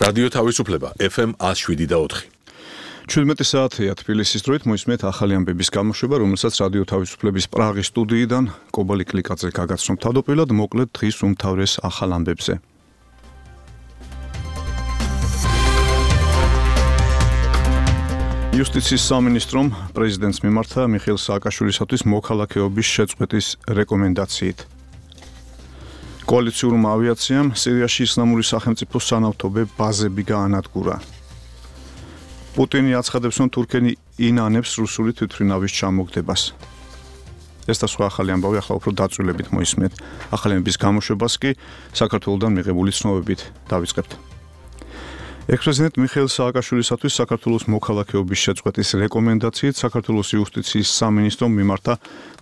რადიო თავისუფლება FM 107.4. 17 საათია თბილისის დროით მოისმენთ ახალი ამბების გამოშვება, რომელსაც რადიო თავისუფლების პრაღის სტუდიიდან კობალი კლიკაძე გაგაცნობთ. თავდაპირველად მოკლედ დღის უმთავრეს ახალ ამბებზე. იუსტიციის სამინისტრომ პრეზიდენტს მიმართა მიხეილ სააკაშვილისათვის მოქალაქეობის შეწყვეტის რეკომენდაციით. კოალიციურმა ავიაციამ სირიაში ისლამური სახელმწიფოს სანავთობე ბაზები გაანადგურა. პუტინი აცხადებს, რომ თურქენი ინანებს რუსული თვითმფრინავის ჩამოგდებას. ეს და სხვა ახალი ამბავი ახლა უფრო დაწვრილებით მოისმენთ. ახალი ამბების გამოშვებას კი საქართველოსდან მიღებული ცნობებით დავიწყებთ. ექს-პრეზიდენტ მიხეილ სააკაშვილისათვის საქართველოს მოქალაქეობის შეწყვეტის რეკომენდაციით საქართველოს იუსტიციის სამინისტრომ მიმართა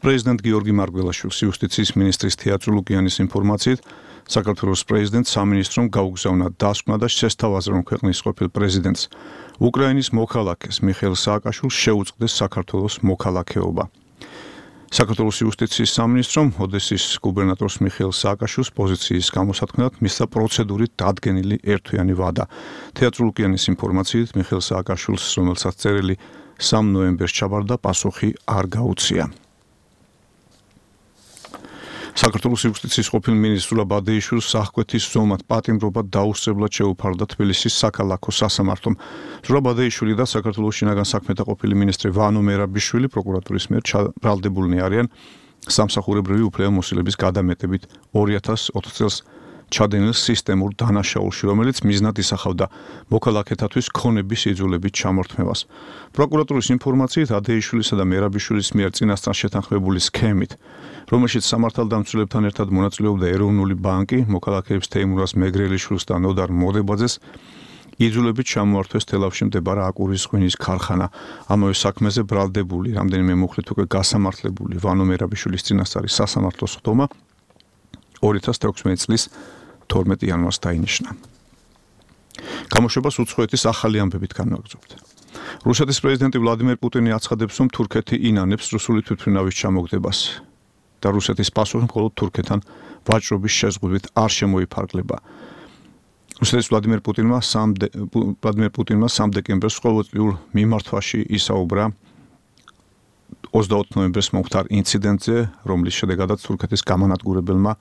პრეზიდენტ გიორგი მარგველაშვილს. იუსტიციის მინისტრის თეატრო ლუკიანის ინფორმაციით, საქართველოს პრეზიდენტ სამინისტრომ გაუგზავნა დასკვნა და შესთავაზა, რომ ქვეყნის ყოფილ პრეზიდენტს უკრაინის მოქალაქეს მიხეილ სააკაშვილს შეუწყდეს საქართველოს მოქალაქეობა. საქართველოს იუსტიციის სამინისტრომ ოდესის გუბერნატორს მიხეილ სააკაშვილს პოზიციის გამოსათქმელად მისცა პროცედურით დადგენილი ერთთვიანი ვადა. თეატრო ლუკიანის ინფორმაციით, მიხეილ სააკაშვილს, რომელსაც წერილი 3 ნოემბერს ჩაბარდა, პასუხი არ გაუწია. საქართველოს იუსტიციის ყოფილ მინისტრ სულა ბადეიშვილს სახკვეთის ზომად პატიმრობად დაუსწრებლად შეუფარდა თბილისის საქალაქო სასამართლომ. სულა ბადეიშვილი და საქართველოს შინაგან საქმეთა ყოფილი მინისტრი ვანო მერაბიშვილი პროკურატურის მიერ ბრალდებულნი არიან სამსახურებრივი უფლებამოსილების გადამეტებით 2004 წელს ჩადენილ სისტემურ დანაშაულში, რომელიც მიზნად ისახავდა მოქალაქეთათვის ქონების იძულებით ჩამორთმევას. პროკურატურის ინფორმაციით, ადეიშვილისა და მერაბიშვილის მიერ წინასწარ შეთანხმებული სქემით, რომელშიც სამართალდამცველებთან ერთად მონაწილეობდა ეროვნული ბანკი, მოქალაქეებს თეიმურას მეგრელიშვილს და ნოდარ მოდებაძეს იძულებით ჩამოართვეს თელავში მდებარე აკურის ღვინის ქარხანა. ამავე საქმეზე ბრალდებული, რამდენიმე მუხლით უკვე გასამართლებული ვანო მერაბიშვილის წინასწარი სასამართლო სხდომა 2016 წლის 12 იანვარს დაინიშნა. გამოშვებას უცხოეთის ახალი ამბებით განვაგრძობთ. რუსეთის პრეზიდენტი ვლადიმერ პუტინი აცხადებს, რომ თურქეთი ინანებს რუსული თვითმფრინავის ჩამოგდებას და რუსეთის პასუხი მხოლოდ თურქეთთან ვაჭრობის შეზღუდვით არ შემოიფარგლება. რუსეთის ვლადიმერ პუტინმა 3 დეკემბერს ყოველწლიურ მიმართვაში ისაუბრა 24 ნოემბერს მომხდარ ინციდენტზე, რომლის შედეგადაც თურქეთის გამანადგურებელმა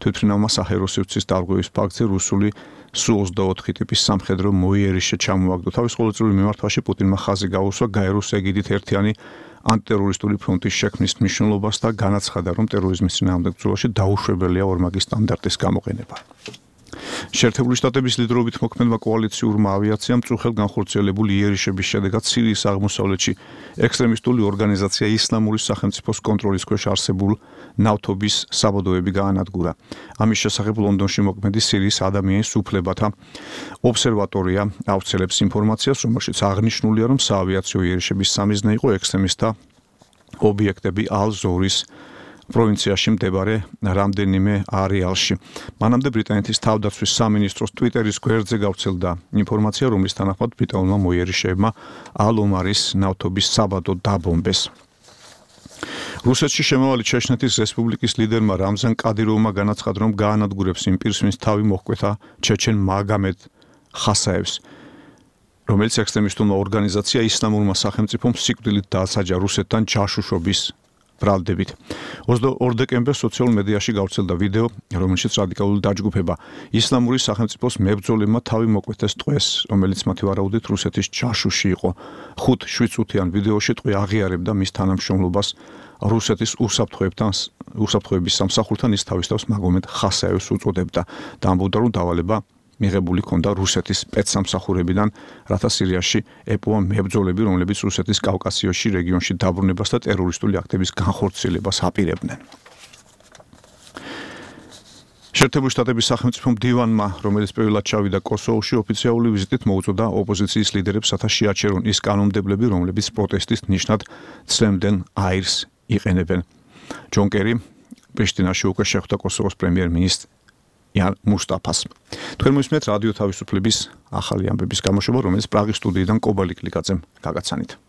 თვითმფრინავმა საჰაერო სივრცის დარღვევის ფაქტზე რუსული Su-24 ტიპის სამხედრო მოიერიშე ჩამოაგდო. თავის ყოველწლიურ მიმართვაში პუტინმა ხაზი გაუსვა გაეროს ეგიდით ერთიანი ანტიტერორისტული ფრონტის შექმნის მნიშვნელობას და განაცხადა, რომ ტერორიზმის წინააღმდეგ ბრძოლაში დაუშვებელია ორმაგი სტანდარტის გამოყენება. შეერთებული შტატების ლიდერობით მოქმედმა კოალიციურმა ავიაციამ წუხელ განხორციელებული იერიშების შედეგად სირიის აღმოსავლეთში ექსტრემისტული ორგანიზაცია ისლამური სახელმწიფოს კონტროლის ქვეშ არსებულ ნავთობის საბადოები გაანადგურა. ამის შესახებ ლონდონში მოქმედი სირიის ადამიანის უფლებათა ობსერვატორია ავრცელებს ინფორმაციას, რომელშიც აღნიშნულია, რომ საავიაციო იერიშების სამიზნე იყო ექსტრემისტთა ობიექტები ალ-ზორის პროვინციაში მდებარე რამდენიმე არეალში. მანამდე ბრიტანეთის თავდაცვის სამინისტროს ტვიტერის გვერდზე გავრცელდა ინფორმაცია, რომლის თანახმად ბრიტანულმა მოიერიშეებმა ალ-ომარის ნავთობის საბადო დაბომბეს. რუსეთში შემავალი ჩეჩნეთის რესპუბლიკის ლიდერმა რამზან კადიროვმა განაცხადა, რომ გაანადგურებს იმ პირს, ვინც თავი მოჰკვეთა ჩეჩენ მაგამედ ხასაევს, რომელიც ექსტრემისტულმა ორგანიზაცია ისლამურმა სახელმწიფომ სიკვდილით დაასაჯა რუსეთთან ჯაშუშობის ბრალდებით. 22 დეკემბერს სოციალურ მედიაში გავრცელდა ვიდეო, რომელშიც რადიკალური დაჯგუფება ისლამური სახელმწიფოს მებრძოლებმა თავი მოკვეთეს ტყვეს, რომელიც მათი ვარაუდით რუსეთის ჯაშუში იყო. 5-7 წუთიან ვიდეოში ტყვე აღიარებდა მის თანამშრომლობას რუსეთის უსაფრთხოების სამსახურთან, ის თავის თავს მაგომედ ხასაევს უწოდებდა და ამბობდა, რომ დავალება მიღებული ჰქონდა რუსეთის სპეცსამსახურებიდან, რათა სირიაში ეპოვა მებრძოლები, რომლებიც რუსეთის კავკასიაში რეგიონში დაბრუნებას და ტერორისტული აქტების განხორციელებას აპირებდნენ. შეერთებული შტატების სახელმწიფო მდივანმა, რომელიც პირველად ჩავიდა კოსოვოში, ოფიციალური ვიზიტით მოუწოდა ოპოზიციის ლიდერებს, რათა შეაჩერონ ის კანონმდებლები, რომლებიც პროტესტის ნიშნად ცრემლენ აირს იყენებენ. ჯონ კერი პრიშტინაში უკვე შეხვდა კოსოვოს პრემიერ-მინისტრ მუსტაფას. თქვენ მოისმენთ რადიო თავისუფლების ახალი ამბების გამოშვება, რომელიც პრაღის სტუდიიდან კობალი კლიკაძემ გაგაცანით.